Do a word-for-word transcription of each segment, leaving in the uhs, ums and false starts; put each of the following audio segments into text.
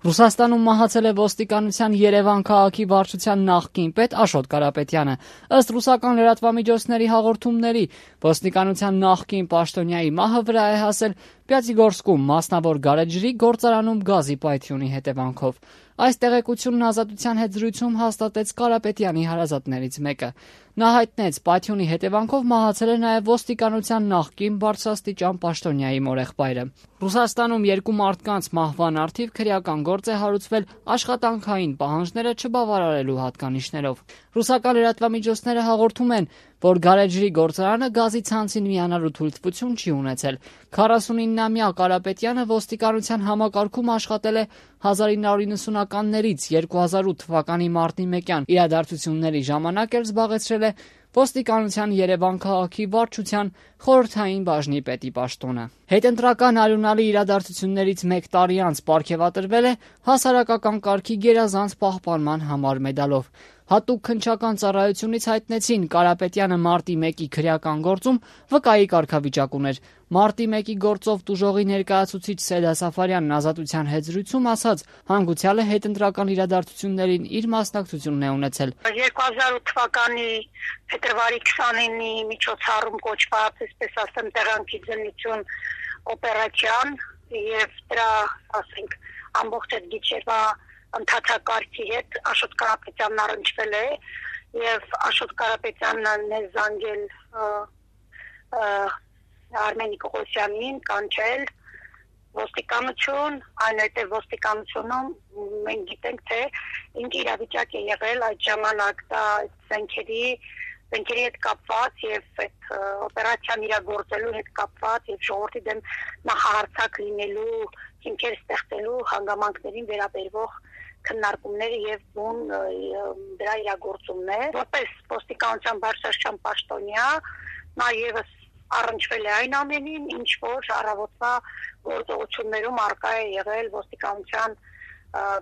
Ռուսաստանում մահացել է ոստիկանության Երևան քաղաքի վարչության նախկին պետ Աշոտ Կարապետյանը։ Ըստ ռուսական լրատվամիջոցների հաղորդումների, ոստիկանության նախկին պաշտոնյայի մահը վրա է հասել Պյատիգորսկում մասնավոր գարեջրի գործարանում գազի պայթյունի հետևանքով։ Այս տեղեկությունն Ազատության հետ զրույցում հաստատեց Կարապետյանի հարազատներից մեկը։ Նա հայտնեց, պայթյունի հետևանքով մահացել է նաև ոստիկանության նախկին բարձրաստիճան պաշտոնյայի մորեղբայրը։ Ռուսաստանում երկու մարդկանց մահվան առթիվ քրեական գործ է հարուցվել աշխատանքային պահանջները չբավարարելու հատկանիշներով։ Ռուսական լրատվամիջոցները հաղորդում են, որ գարեջրի գործարանը գազի ցանցին միանալու թույլտվություն չի ունեցել։ քառասունիննամյա Կարապետյանը ոստիկանության համակարգում աշխատել է հազար ինը հարյուր նվությաններից երկու հազար ութ թվականի մարտի մեկյան իրադարձությունների ժամանակ էլ զբաղեցրել է ոստիկանության Երևան քաղաքի վարչության խորհրդային բաժնի պետի պաշտոնը։ Հետընտրական արյունալի իրադարձություններից մեկ տարի անց պարգևատրվել է հասարակական կարգի գերազանց պահպանման համար մեդալով։ Հատուկ քննչական ծառայությունից հայտնեցին, Կարապետյանը մարտի մեկի քրեական գործում վկայի կարգավիճակ ուներ։ Մարտի մեկի գործով տուժողի ներկայացուցիչ Սեդա Սաֆարյանն Ազատության հետ զրույցում ասաց, հանգուցյալը հետընտրական իրադարձություններին իր մասնակցությունն է ունեցել։ երկու հազար ութ թվականի փետրվարի քսանինի միջոցառում կոչված, այսպես ասեմ, տեղանքի ձնություն օպերացիան եւ դրա, ասենք, ամբողջ այդ գիչերվա ընդհանրակարգի հետ Աշոտ Կարապետյանն առնչվել է եւ Աշոտ Կարապետյանն է զանգել Արմեն Նիկողոսյանին, կանչել ոստիկանություն, այնուհետև ոստիկանությունում մենք գիտենք, թե ինչ իրավիճակ է եղել այդ ժամանակ, դա զենքերի զենքերի հետ կապված եւ այդ օպերացիան իրագործելու հետ կապված եւ ժողովրդի դեմ նախահարցակ լինելու, հիմքեր ստեղծելու հանգամանքներին վերաբերող քննարկումները եւ բուն դրա իրագործումն է։ Որպես ոստիկանության բարձրաստիճան պաշտոնյա նա եւս առնչվել է այն ամենին, ինչ որ առավոտվա գործողություններում արկա է եղել ոստիկանության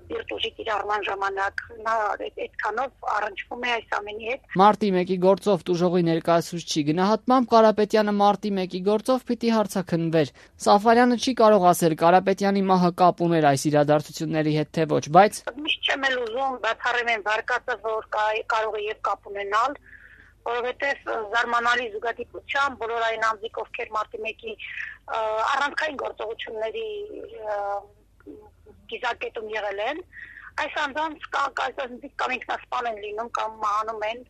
բիրտուժի կիրառման ժամանակ, նա այդքանով առնչվում է այս ամենի հետ։ Մարտի մեկի գործով տուժողի ներկայացուցչի գնահատմամբ Կարապետյանը մարտի մեկի գործով պիտի հարցաքննվեր։ Սաֆարյանը չի կարող ասել Կարապետյանի մահը կապ ուներ այս իրադարձությունների հետ թե ոչ, բայց միշտ չեմ էլ ուզում բացառեմ այն վարկածը, որ կարող է եւ կապ ունենալ, որովհետեւ զարմանալի զուգադիպությամբ բոլոր այն անձիկ, ովքեր մարտի մեկի առանցքային գործողությունների գիզակետում եղել են, այս անձանց կամ ինքնասպան են լինում, կամ մահանում են,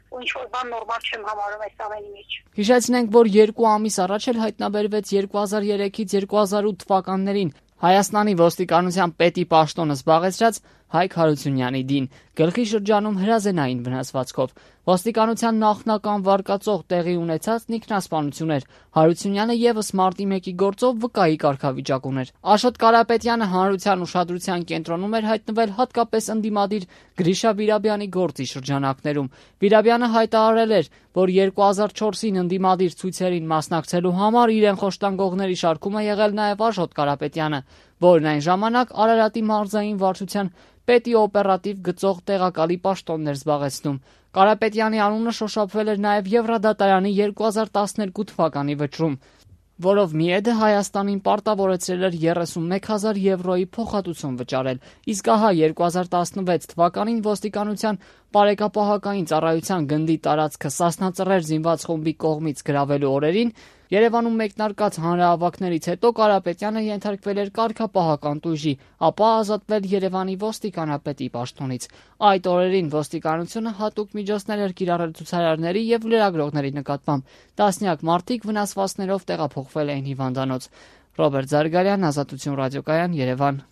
ու ինչ-որ բան նորմալ չեմ համարում այս ամենի մեջ։ Հիշեցնենք, որ երկու ամիս առաջ էլ հայտնաբերվեց երկու հազար երեքից երկու հազար ութ թվականներին Հայաստանի ոստիկանության պետի պաշտոնը զբաղեցրած Հայկ Հարությունյանի դին, գլխի շրջանում հրազենային վնասվածքով։ Ոստիկանության նախնական վարկածող տեղի ունեցածն ինքնասպանություն էր։ Հարությունյանը եւս մարտի մեկի գործով վկայի կարգավիճակ ուներ։ Աշոտ Կարապետյանը հանրության ուշադրության կենտրոնում էր հայտնվել հատկապես ընդդիմադիր Գրիշա Վիրաբյանի գործի շրջանակներում։ Վիրաբյանը հայտարարել էր, որ երկու հազար չորսին ընդդիմադիր ցույցերին մասնակցելու համար իրեն խոշտանգողների շարքում է եղել նաև Աշոտ Կարապետյանը, որն այն ժամանակ Արարատի մարզային վարչության պետի օպերատիվ գծող տեղակալի պաշտոնն էր զբաղեցնում։ Կարապետյանի անունը շոշափվել էր նաև Եվրադատարանի երկու հազար տասներկու թվականի վճռում, որով ՄԻԵԴ-ը Հայաստանին պարտավորեցրել էր երեսունմեկ հազար եվրոյի փոխհատուցում վճարել, իսկ ահա երկու հազար տասնվեց թվականին ոստիկանության բարեկապահական ծառայության գնդի տարածքը Սասնա Ծռեր զինված խումբի կողմից գրավելու օրերին Երևանում մեկնարկած հանրահավաքներից հետո Կարապետյանը ենթարկվել էր կարգապահական տույժի, ապա ազատվել Երևանի ոստիկանապետի պաշտոնից։ Այդ օրերին ոստիկանությունը հատուկ միջոցներ էր կիրառել ցուցարարների եւ լրագրողների նկատմամբ։ Տասնյակ մարդիկ վնասվածքներով տեղափոխվել էին հիվանդանոց։ Ռոբերտ Զարգարյան, Ազատություն ռադիոկայան, Երևան։